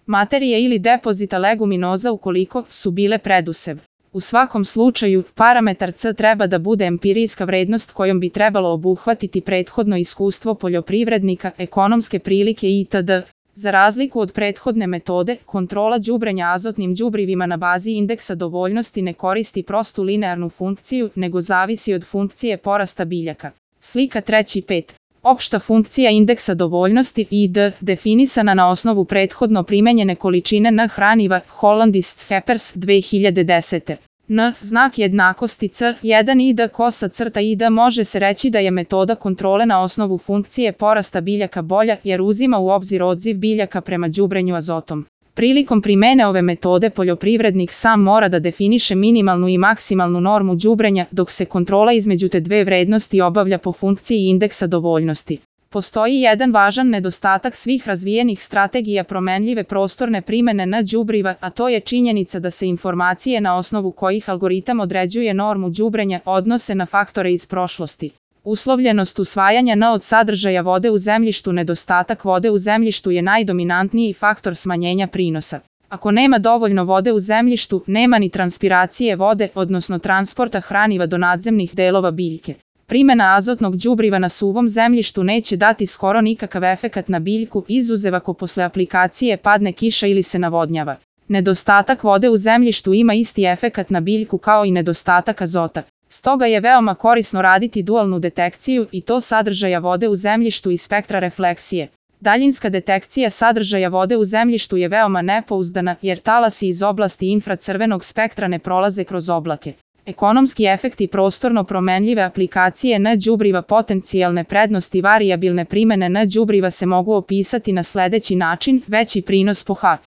materije ili depozita leguminoza ukoliko su bile predusev. U svakom slučaju, parametar C treba da bude empirijska vrednost kojom bi trebalo obuhvatiti prethodno iskustvo poljoprivrednika, ekonomske prilike itd. Za razliku od prethodne metode, kontrola đubrenja azotnim đubrivima na bazi indeksa dovoljnosti ne koristi prostu linearnu funkciju, nego zavisi od funkcije porasta biljaka. Slika 3.5. Opšta funkcija indeksa dovoljnosti ID definisana na osnovu prethodno primenjene količine N hraniva Hollandist Scheppers 2010. N znak jednakosti C1 ID kosa crta ID može se reći da je metoda kontrole na osnovu funkcije porasta biljaka bolja jer uzima u obzir odziv biljaka prema đubrenju azotom. Prilikom primene ove metode poljoprivrednik sam mora da definiše minimalnu i maksimalnu normu đubrenja dok se kontrola između te dve vrednosti obavlja po funkciji indeksa dovoljnosti. Postoji jedan važan nedostatak svih razvijenih strategija promenljive prostorne primene N đubriva, a to je činjenica da se informacije na osnovu kojih algoritam određuje normu đubrenja odnose na faktore iz prošlosti. Uslovljenost usvajanja N od sadržaja vode u zemljištu. Nedostatak vode u zemljištu je najdominantniji faktor smanjenja prinosa. Ako nema dovoljno vode u zemljištu, nema ni transpiracije vode, odnosno transporta hraniva do nadzemnih delova biljke. Primena azotnog đubriva na suvom zemljištu neće dati skoro nikakav efekat na biljku, izuzev ako posle aplikacije padne kiša ili se navodnjava. Nedostatak vode u zemljištu ima isti efekat na biljku kao i nedostatak azota. Stoga je veoma korisno raditi dualnu detekciju i to sadržaja vode u zemljištu i spektra refleksije. Daljinska detekcija sadržaja vode u zemljištu je veoma nepouzdana jer talasi iz oblasti infracrvenog spektra ne prolaze kroz oblake. Ekonomski efekti prostorno promenljive aplikacije N đubriva. Potencijalne prednosti varijabilne primene N đubriva se mogu opisati na sledeći način: veći prinos po H.